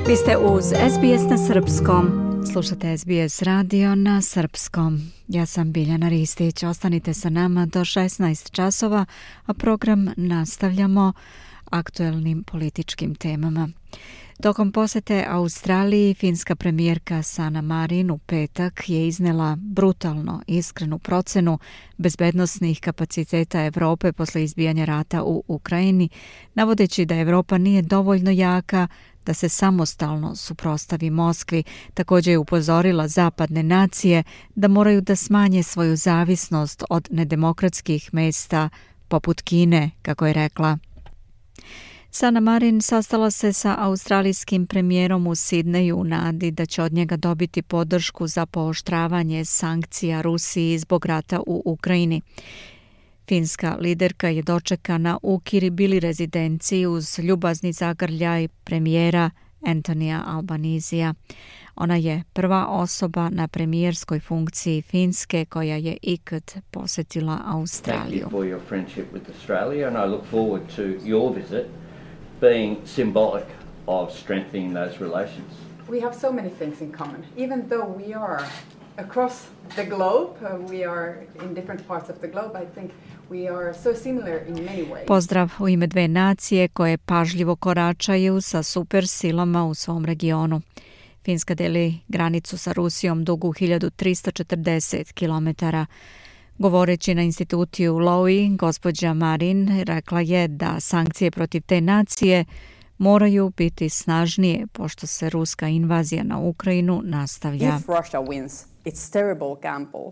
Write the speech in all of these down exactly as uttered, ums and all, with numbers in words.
Vi ste uz S B S na srpskom. Slušate S B S radio na srpskom. Ja sam Biljana Ristić. Ostanite sa nama do šesnaest časova, a program nastavljamo aktuelnim političkim temama. Tokom posete Australiji, finska premijerka Sanna Marin u petak je iznela brutalno iskrenu procenu bezbednosnih kapaciteta Evrope posle izbijanja rata u Ukrajini, navodeći da Evropa nije dovoljno jaka da se samostalno suprotstavi Moskvi. Također je upozorila zapadne nacije da moraju da smanje svoju zavisnost od nedemokratskih mesta poput Kine, kako je rekla. Sanna Marin sastala se sa australijskim premijerom u Sidneju u nadi da će od njega dobiti podršku za pooštravanje sankcija Rusiji zbog rata u Ukrajini. Finska liderka je dočekana u Kiribili rezidenciji uz ljubazni zagrljaj premijera Antonija Albanizija. Ona je prva osoba na premijerskoj funkciji Finske koja je ikad posjetila Australiju. Being symbolic of strengthening those relations. We have so many things in common. Even though we are across the globe, uh, we are in different parts of the globe, I think we are so similar in many ways. Pozdrav u ime dve nacije koje pažljivo koračaju sa super silama u svom regionu. Finska deli granicu sa Rusijom dugu hiljadu tristo četrdeset kilometara. Govoreći na institutu u Lowy, gospođa Marin rekla je da sankcije protiv te nacije moraju biti snažnije pošto se ruska invazija na Ukrajinu nastavlja. If Russia wins, it's terrible gamble.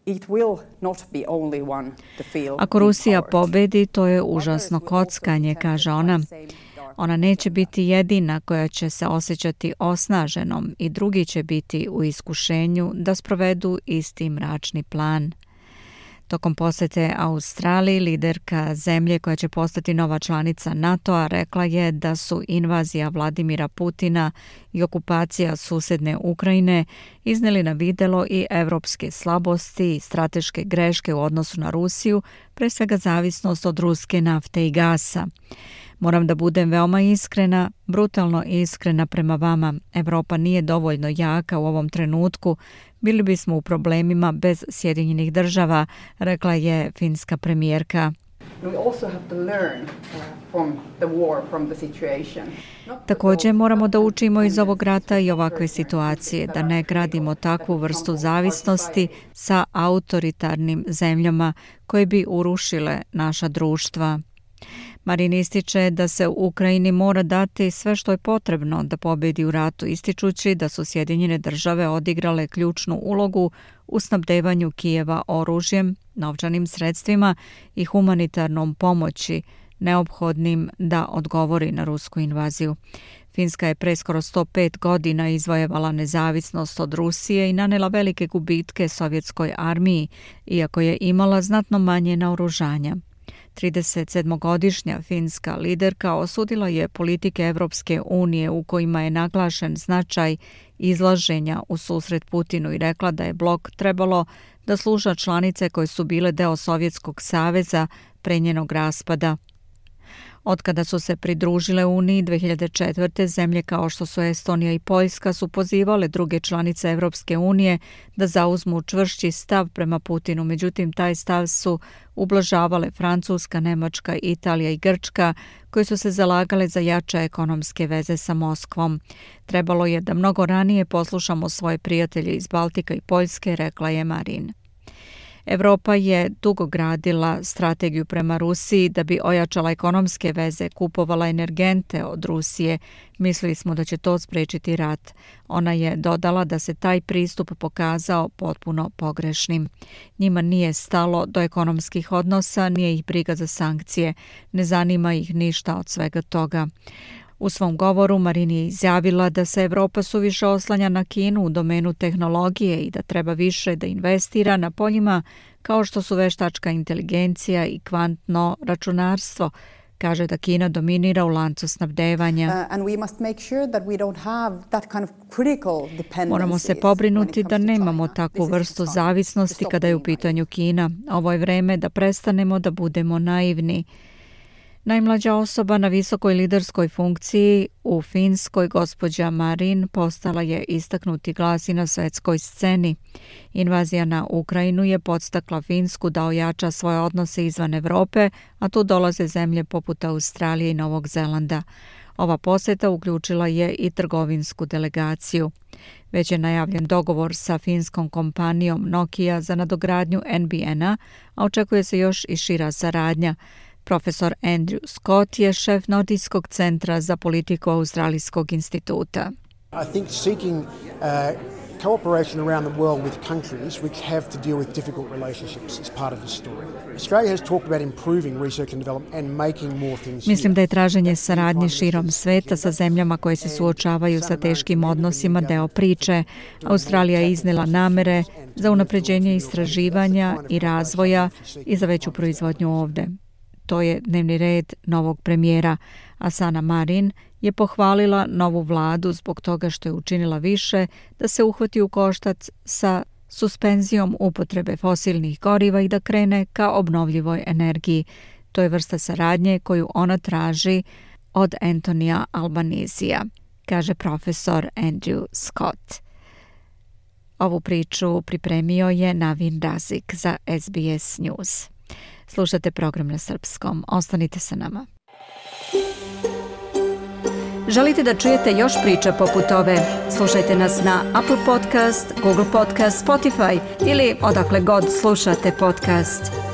It will not be only one to feel. Ako Rusija pobedi, to je užasno kockanje, kaže ona. Ona neće biti jedina koja će se osjećati osnaženom i drugi će biti u iskušenju da sprovedu isti mračni plan. Tokom posete Australiji, liderka zemlje koja će postati nova članica NATO-a rekla je da su invazija Vladimira Putina i okupacija susedne Ukrajine izneli na videlo i evropske slabosti i strateške greške u odnosu na Rusiju, pre svega zavisnost od ruske nafte i gasa. Moram da budem veoma iskrena, brutalno iskrena prema vama. Evropa nije dovoljno jaka u ovom trenutku. Bili bismo u problemima bez Sjedinjenih država, rekla je finska premijerka. Također moramo da učimo iz ovog rata i ovakve situacije, da ne gradimo takvu vrstu zavisnosti sa autoritarnim zemljama koje bi urušile naša društva. Marin ističe da se u Ukrajini mora dati sve što je potrebno da pobedi u ratu, ističući da su Sjedinjene države odigrale ključnu ulogu u snabdevanju Kijeva oružjem, novčanim sredstvima i humanitarnom pomoći neophodnim da odgovori na rusku invaziju. Finska je pre skoro sto pet godina izvojevala nezavisnost od Rusije i nanela velike gubitke sovjetskoj armiji, iako je imala znatno manje naoružanja. tridesetsedmogodišnja finska liderka osudila je politike Evropske unije u kojima je naglašen značaj izlaženja u susret Putinu i rekla da je blok trebalo da sluša članice koje su bile deo Sovjetskog saveza pre njenog raspada. Otkada su se pridružile Uniji dve hiljade četvrte. zemlje kao što su Estonija i Poljska su pozivale druge članice Evropske unije da zauzmu čvršći stav prema Putinu. Međutim, taj stav su ublažavale Francuska, Nemačka, Italija i Grčka, koji su se zalagale za jače ekonomske veze sa Moskvom. Trebalo je da mnogo ranije poslušamo svoje prijatelje iz Baltika i Poljske, rekla je Marin. Evropa je dugo gradila strategiju prema Rusiji da bi ojačala ekonomske veze, kupovala energente od Rusije. Mislili smo da će to spriječiti rat. Ona je dodala da se taj pristup pokazao potpuno pogrešnim. Njima nije stalo do ekonomskih odnosa, nije ih briga za sankcije. Ne zanima ih ništa od svega toga. U svom govoru Marin je izjavila da se Evropa suviše oslanja na Kinu u domenu tehnologije i da treba više da investira na poljima kao što su veštačka inteligencija i kvantno računarstvo. Kaže da Kina dominira u lancu snabdevanja. Moramo se pobrinuti da nemamo takvu vrstu zavisnosti kada je u pitanju Kina. Ovo je vreme da prestanemo da budemo naivni. Najmlađa osoba na visokoj liderskoj funkciji u Finskoj, gospođa Marin, postala je istaknuti glas i na svetskoj sceni. Invazija na Ukrajinu je podstakla Finsku da ojača svoje odnose izvan Evrope, a tu dolaze zemlje poput Australije i Novog Zelanda. Ova poseta uključila je i trgovinsku delegaciju. Već je najavljen dogovor sa finskom kompanijom Nokia za nadogradnju N B N-a, a očekuje se još i šira saradnja. Profesor Andrew Scott je šef Nordijskog centra za politiku Australijskog instituta. I think seeking uh, cooperation around the world with countries which have to deal with difficult relationships is part of the story. Australia has talked about improving research and development and making more things. Mislim da je traženje saradnje širom sveta sa zemljama koje se suočavaju sa teškim odnosima deo priče. Australija je iznela namere za unapređenje istraživanja i razvoja i za veću proizvodnju ovde. To je dnevni red novog premijera. Asana Marin je pohvalila novu vladu zbog toga što je učinila više da se uhvati u koštac sa suspenzijom upotrebe fosilnih goriva i da krene ka obnovljivoj energiji. To je vrsta saradnje koju ona traži od Antonija Albanizija, kaže profesor Andrew Scott. Ovu priču pripremio je Navin Razik za S B S News. Slušate program na srpskom. Ostanite sa nama. Želite da čujete još priča poput ove? Slušajte nas na Apple Podcast, Google Podcast, Spotify ili odakle god slušate podcast.